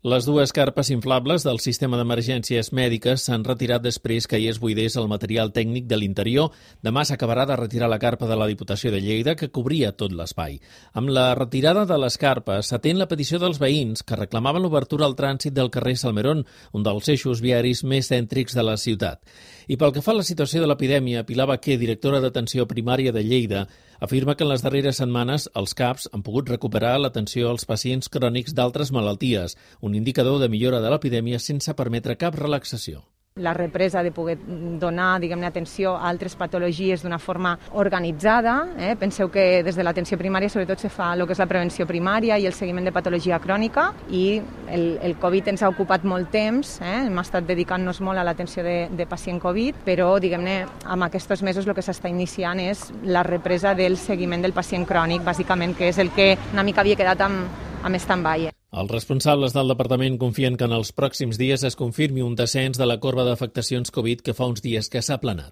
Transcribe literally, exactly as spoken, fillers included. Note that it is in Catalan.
Les dues carpes inflables del sistema d'emergències mèdiques s'han retirat després que hi es buidés el material tècnic de l'interior. Demà s'acabarà de retirar la carpa de la Diputació de Lleida, que cobria tot l'espai. Amb la retirada de les carpes s'atén la petició dels veïns que reclamaven l'obertura al trànsit del carrer Salmerón, un dels eixos viaris més cèntrics de la ciutat. I pel que fa a la situació de l'epidèmia, Pilar Baquer, directora d'atenció primària de Lleida, afirma que en les darreres setmanes els C A Ps han pogut recuperar l'atenció als pacients crònics d'altres malalties, un indicador de millora de l'epidèmia sense permetre cap relaxació. La represa de poder donar, diguem-ne, atenció a altres patologies d'una forma organitzada. Eh? Penseu que des de l'atenció primària sobretot se fa el que és la prevenció primària i el seguiment de patologia crònica, i el, el Covid ens ha ocupat molt temps, eh? hem estat dedicant-nos molt a l'atenció de, de pacient Covid, però, diguem-ne, amb aquests mesos el que s'està iniciant és la represa del seguiment del pacient crònic, bàsicament, que és el que una mica havia quedat amb, amb stand-by. Els responsables del departament confien que en els pròxims dies es confirmi un descens de la corba d'afectacions Covid que fa uns dies que s'ha aplanat.